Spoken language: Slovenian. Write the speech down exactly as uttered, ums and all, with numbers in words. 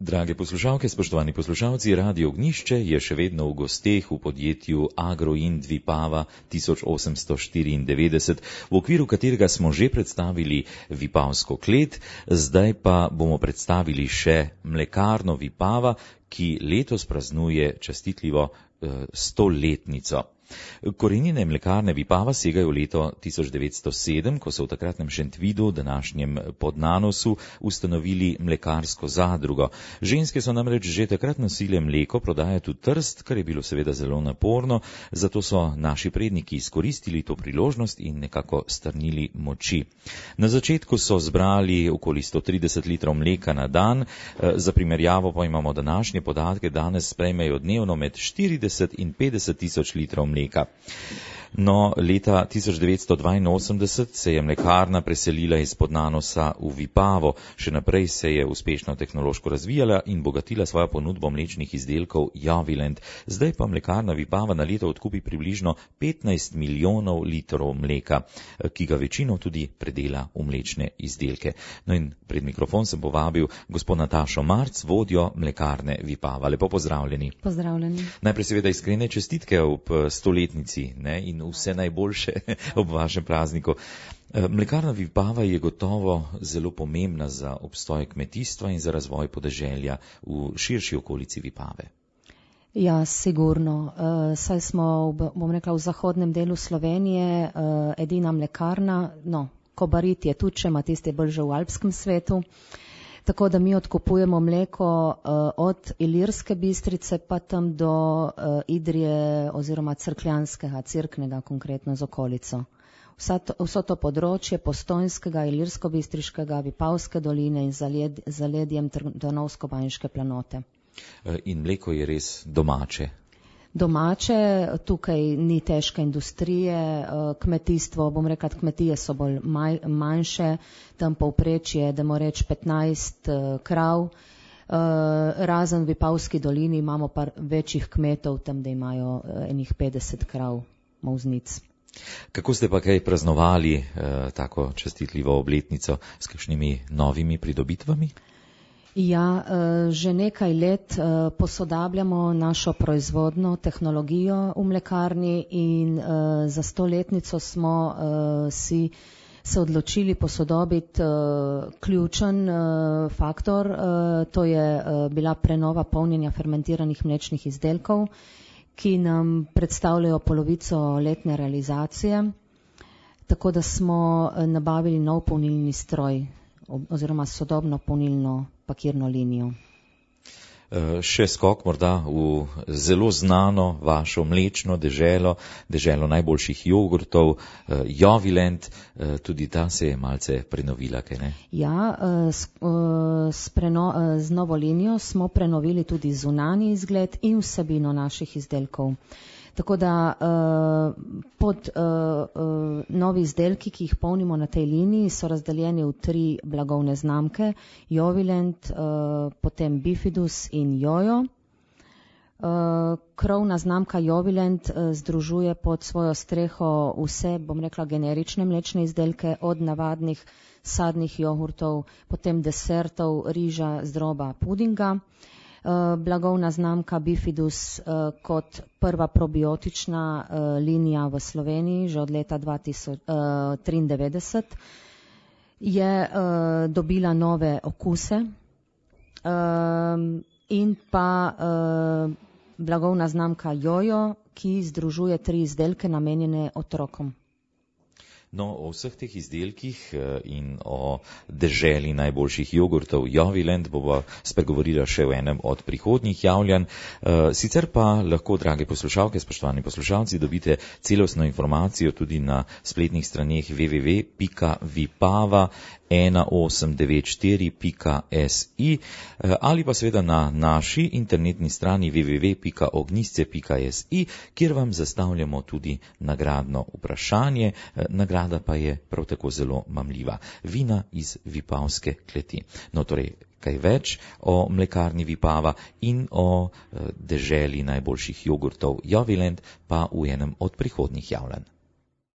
Drage poslušalke, spoštovani poslušalci, Radio Ognjišče je še vedno v gosteh v podjetju Agroind Vipava tisoč osemsto štiriindevetdeset, v okviru katerega smo že predstavili vipavsko klet, zdaj pa bomo predstavili še mlekarno Vipava, ki letos praznuje častitljivo eh, stoletnico. Korenine mlekarne Vipava segajo v leto tisoč devetsto sedem, ko so v takratnem Šentvidu, današnjem Podnanosu, ustanovili mlekarsko zadrugo. Ženske so namreč že takrat nosile mleko prodajati v Trst, kar je bilo seveda zelo naporno, zato so naši predniki izkoristili to priložnost in nekako strnili moči. Na začetku so zbrali okoli sto trideset litrov mleka na dan, za primerjavo pa imamo današnje podatke, danes sprejmejo dnevno med štirideset in petdeset tisoč litrov mleka. No, leta tisoč devetsto dvainosemdeset se je mlekarna preselila iz Podnanosa v Vipavo. Še naprej se je uspešno tehnološko razvijala in bogatila svojo ponudbo mlečnih izdelkov Jovilend. Zdaj pa mlekarna Vipava na leto odkupi približno petnajst milijonov litrov mleka, ki ga večino tudi predela v mlečne izdelke. No in pred mikrofon sem povabil gospod Natašo Marc, vodjo mlekarne Vipava. Lepo pozdravljeni. Pozdravljeni. Najprej seveda iskrene čestitke ob stoletnici, ne, in vse najboljše ob vašem prazniku. Mlekarna Vipava je gotovo zelo pomembna za obstoj kmetijstva in za razvoj podeželja v širši okolici Vipave. Ja, sigurno. Uh, saj smo, bom rekla, v zahodnem delu Slovenije uh, edina mlekarna, no, Kobarid je tudi, če ima tisti bolj že v alpskem svetu. Tako da mi odkupujemo mleko uh, od Ilirske Bistrice pa tam do uh, Idrije oziroma Cerkljanskega, Cerknega konkretno z okolico. Vsa to, vso to področje Postojnskega, Ilirsko-Bistriškega, Vipavske doline in zaled, zaledjem Drnovsko-Banjške planote. In mleko je res domače. Domače, tukaj ni težke industrije, kmetijstvo, bom rekla, kmetije so bolj maj, manjše, tam povprečje, da mora reči petnajst krav, razen v Vipavski dolini imamo par večjih kmetov, tam da imajo enih petdeset krav molznic. Kako ste pa kaj praznovali eh, tako častitljivo obletnico s kakšnimi novimi pridobitvami? Ja, že nekaj let posodabljamo našo proizvodno tehnologijo v mlekarni in za stoletnico smo si se odločili posodobiti ključen faktor, to je bila prenova polnjenja fermentiranih mlečnih izdelkov, ki nam predstavljajo polovico letne realizacije, tako da smo nabavili nov polnilni stroj oziroma sodobno polnilno pakirno linijo. Še skok morda v zelo znano vašo mlečno deželo, deželo najboljših jogurtov, Jovilend, tudi ta se je malce prenovila, kaj ne? Ja, s, s, preno, z novo linijo smo prenovili tudi zunanji izgled in vsebino naših izdelkov. Tako da uh, pod uh, uh, novi izdelki, ki jih polnimo na tej liniji, so razdeljeni v tri blagovne znamke, Jovilend, uh, potem Bifidus in Jojo. Uh, krovna znamka Jovilend uh, združuje pod svojo streho vse, bom rekla, generične mlečne izdelke, od navadnih sadnih jogurtov, potem desertov, riža, zdroba, pudinga. Uh, blagovna znamka Bifidus uh, kot prva probiotična uh, linija v Sloveniji že od leta dva tisoč triindevetdeset je uh, dobila nove okuse uh, in pa uh, blagovna znamka Jojo, ki združuje tri izdelke namenjene otrokom. No, o vseh teh izdelkih in o deželi najboljših jogurtov Jovilend bova spregovorila še v enem od prihodnjih javljanj. Sicer pa lahko, drage poslušalke, spoštovani poslušalci, dobite celostno informacijo tudi na spletnih straneh w w w pika vipava ena osem devet štiri pika s i ali pa seveda na naši internetni strani w w w pika ognjisce pika s i, kjer vam zastavljamo tudi nagradno vprašanje. Nagrada pa je prav tako zelo mamljiva. Vina iz Vipavske kleti. No, torej, kaj več o mlekarni Vipava in o deželi najboljših jogurtov Jovilend pa v enem od prihodnjih javljanj.